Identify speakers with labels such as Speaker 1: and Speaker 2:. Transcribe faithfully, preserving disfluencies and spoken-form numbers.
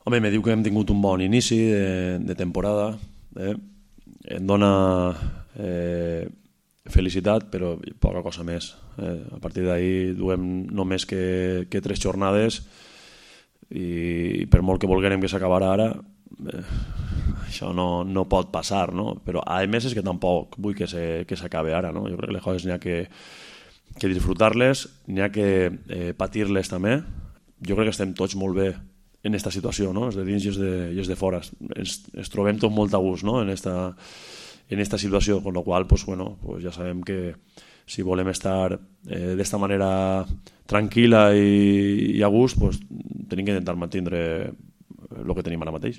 Speaker 1: Home, me diu que hem tingut un bon inici de, de temporada, eh? Em dona eh, felicitat, però poca cosa més. Eh? A partir d'ahir duem només que, que tres jornades i per molt que volguérem que s'acabara ara, eh, això no, no pot passar, no? Però a més és que tampoc vull que, se, que s'acabe ara, no? Jo crec que les coses n'hi ha que, que disfrutar-les, n'hi ha que eh, patir-les també. Jo crec que estem tots molt bé en aquesta situació, no? Els de dins i els de, i els de fora. Ens, ens trobem tots molt a gust, no? En esta, en esta situació, con lo qual, pues, bueno, pues ja sabem que si volem estar eh, d'esta manera tranquil·la i, i a gust, pues, tenim que intentar mantenir el que tenim ara mateix.